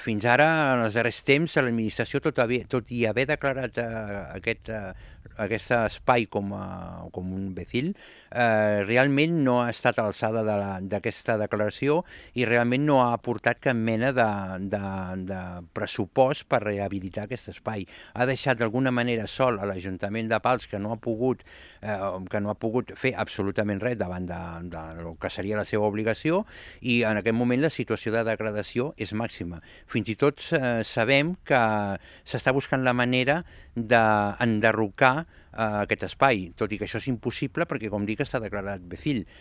fins ara, en els darrers temps, l'administració, tot i haver declarat aquest espai com un becil, realment no ha estat a l'alçada d'aquesta declaració i realment no ha aportat cap mena de pressupost per rehabilitar aquest espai. Ha deixat d'alguna manera sol a l'Ajuntament de Pals, que no ha pogut fer absolutament res davant del que seria la seva obligació, i en aquest moment la situació de degradació és màxima. Fins i tot sabem que s'està buscant la manera d'enderrocar aquest espai, tot i que això és impossible perquè, com dic, està declarat becil.